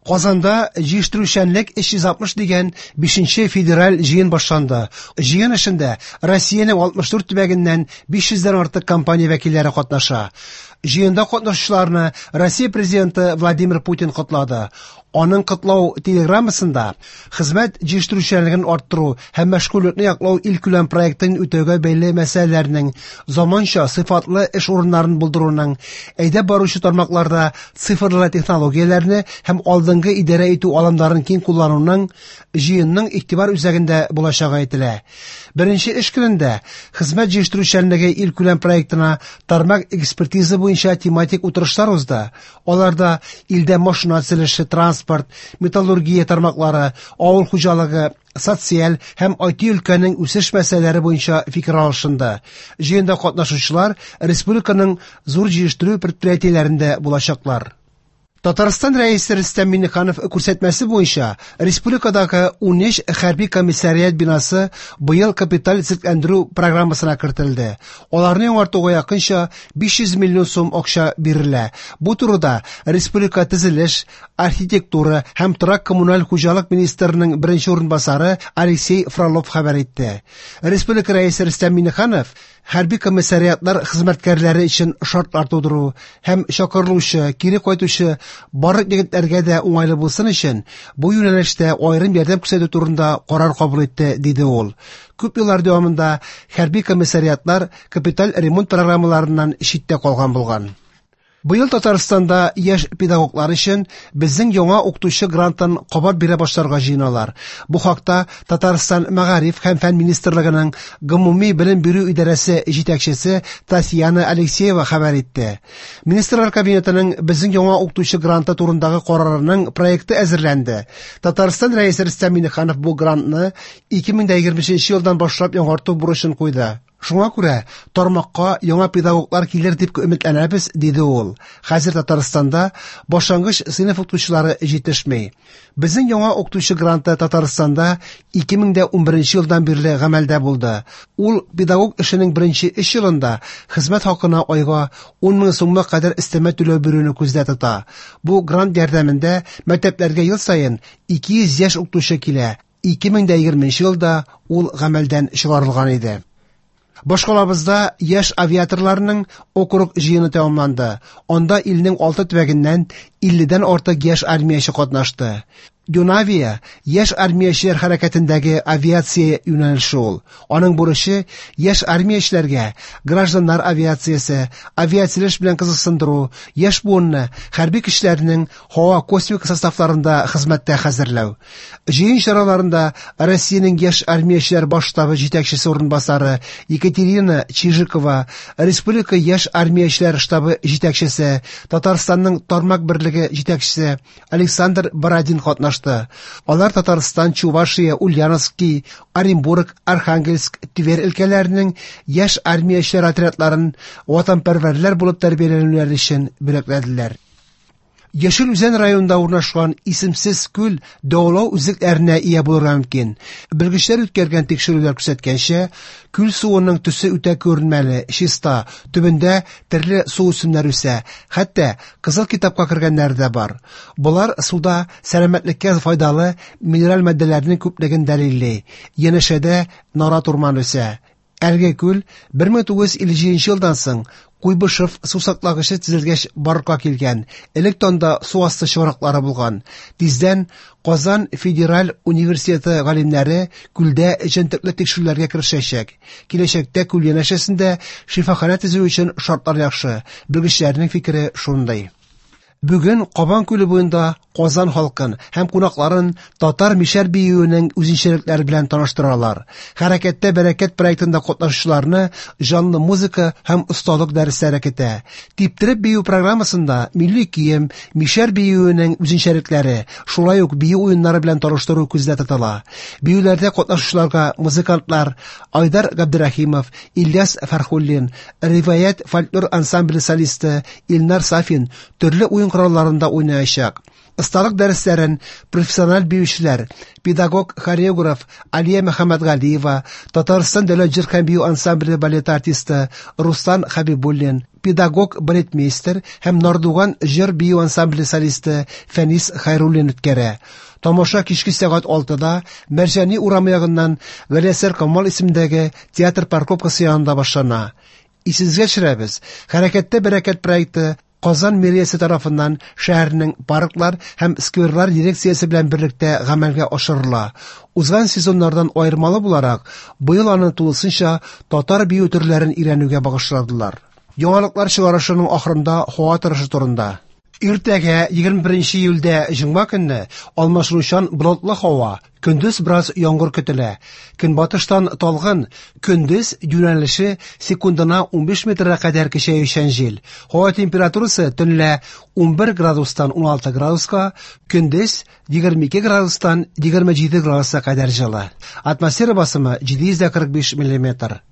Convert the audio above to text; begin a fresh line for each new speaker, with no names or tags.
Казанда җыештыручанлык 360 дигән 5нче федераль җыен башланды. Җыен эшендә Россиянең 64 төбәгеннән 500 дән артык компания вәкилләре катнаша. Җыенда катнашучыларны Россия президенты Владимир Путин котлады. Аның котлау телеграммасында хезмәт җитештерүчәнлеген арттыру һәм мәшгульлекне яклау илкүләм проектын үтәүгә бәйле мәсьәләләрнең, заманча сыйфатлы эш урыннарын булдыруның, әйдәп баручы тармакларда цифрлы технологияләрне һәм алдынгы идарә итү алымнарын киң куллануның җыенның игътибар үзәгендә булачагы әйтелә. Беренче эш көнендә хезмәт җитештерүчәнлеге илкүләм проектына тармак экспертиза буенча тематик утырышлар узды. Аларда илдә машина төзелеше, транспорт, металлургия тармаклары, авыл хуҗалыгы, социаль һәм IT өлкәнең үсеш мәсьәләләре буенча фикер алышынды. Җыенда катнашучылар республиканың зур җитештерү предприятиеләрендә булачаклар. Татарстан Рәисе Рөстәм Миңнеханов күрсәтмәсе буенча республикадагы 13 хәрби комиссариат бинасы быел капиталь төзекләндерү программасына кертелде. Аларны яңартуга якынча 500 миллион сум акча бирелә. Бу турыда республика төзелеш, архитектура һәм торак-коммуналь хуҗалык министрының беренче урынбасары Алексей Фролов хәбәр итте. Республика Рәисе Рөстәм Миңнеханов хәрби комиссариатлар хезмәткәрләре өчен шартлар тудыру һәм чакырылучы, кире кайтучы барлык егетләргә дә уңайлы булсын өчен бу юнәлештә аерым ярдәм күрсәтү турында карар кабул итте, диде ул. Күп еллар дәвамында хәрби комиссариатлар капиталь ремонт программаларыннан читтә калган булган. Быел Татарстанда яшь педагоглар өчен безнең яңа укытучы грантын кабат бирә башларга җыеналар. Бу хакта Татарстан Мәгариф һәм фән министрлыгының гомуми белем бирү идарәсе җитәкчесе Татьяна Алексеева хәбәр итте. Министрлар кабинетының безнең яңа укытучы гранты турындагы карарының проекты әзерләнде. Татарстан Рәисе Рөстәм Миңнеханов бу грантны 2023 елдан башлап яңарту бурычын куйды. Шуңа күрә тармакка яңа педагоглар килер дип өметләнәбез, диде ул. Хәзер Татарстанда башлангыч сыйныф укытучылары җитешми. Безнең яңа укытучы гранты Татарстанда 2011 елдан бирле гамәлдә булды. Ул педагог эшенең беренче 3 елында хезмәт хакына айга 10 мең сумга кадәр өстәмә түләү бирүне күздә тота. Бу грант ярдәмендә мәктәпләргә ел саен 200 яшь укытучы килә. 2020 елда ул гамәлдән чыгарылган иде. Башкалабызда яшь авиаторларның округ җыены тәмамланды. Анда илнең 6 төбәгеннән 50дән артык яшь армияче катнашты. Юнавия яшь армиячеләр хәрәкәтендәге авиация юнәлеше ул. Аның бурычы яшь армиячеләргә гражданнар авиациясе, авиацияләш белән кызыксындыру, яшь буынны хәрби көчләрнең һава космик составларында хезмәттә хәзерләү. Җыен чараларында Россиянең яшь армиячеләр баш штабы җитәкчесе урынбасары Екатерина Чижикова, Республика яшь армиячеләр штабы җитәкчесе, Татарстанның тармак берлеге җитәкчесе Александр Бородин катнашты. Алар Татарстан, Чувашия, Ульяновский, Оренбург, Архангельск, Тверь өлкәләренең яшь армиячеләр отрядларын ватанпәрвәрләр булып тәрбияләнүләре өчен бүләкләделәр. Яшел Үзән районында урнашкан исемсез күл дәвалау үзлекләренә ия булырга мөмкин. Белгечләр үткәргән тикшерүләр күрсәткәнчә, күл суының төсе үтә күренмәле, чиста, төбендә төрле су үсемнәре үсә, хәтта кызыл китапка кергәннәре дә бар. Болар суда сәламәтлеккә файдалы минераль матдәләрнең күплеген дәлилли. Янәшәдә нарат урманы үсә. Әлеге күл 1957 елдан соң Куйбышев су саклагычы төзелгәч барлыкка килгән. Элек танда су асты чыганаклары булган. Тиздән Казан федераль университеты галимнәре күлдә җентекле тикшерүләргә керешәчәк. Киләчәктә күл янәшәсендә шифаханә төзү өчен шартлар яхшы. Белгечләрнең фикере шундый. Бүген Кабан күле буенда Казан халкын һәм кунакларын татар мишәр биюенең үзенчәлекләре белән таныштыралар. Хәрәкәттә бәрәкәт проектында катнашучыларны җанлы музыка һәм осталык дәресләре көтә. Типтереп бию программасында милли кием, мишәр биюенең үзенчәлекләре, шулай ук бию уеннары белән таныштыру күздә тотыла. Биюләрдә катнашучыларга музыкантлар Айдар Габдрахимов, Ильяс Фәрхуллин, Риваять фольклор ансамбле солисты Илнар Сафин төрле уен коралларында уйнаячак. Осталык дәресләрен профессиональ биючеләр, педагог-хореограф Алия Мөхәммәтгалиева, Татарстан дәүләт җыр һәм бию ансамбле балеты артисты Руслан Хәбибуллин, педагог-балетмейстер һәм Нардуган җыр бию ансамбле солисты Фәнис Хәйруллин үткәрә. Тамаша кичке сәгать 6-да Мәрҗани урамы ягыннан Галиәсгар Камал исемендәге театр парковкасы янында башлана. Исегезгә төшерәбез, Хәрәкәттә бәрәкәт проекты Казан мэриясе тарафыннан шәһәрнең парклар һәм скверлар дирекциясе белән берлектә гамәлгә ашырыла. Узган сезоннардан аермалы буларак, быел аны тулысынча татар бию төрләрен өйрәнүгә багышладылар. Яңалыклар чыгарышының ахырында һава торышы турында. Иртәгә, 21 июльдә җомга көнне, алмашынучан болытлы һава, көндез бераз яңгыр көтелә. Көнбатыштан талгын, көндез юнәлеше секундына 15 метрга кадәр көчәючән җил. Һава температурасы төнлә 11 градустан 16 градуска, көндез 22 градустан 27 градуска кадәр җылы. Атмосфера басымы 745 миллиметр.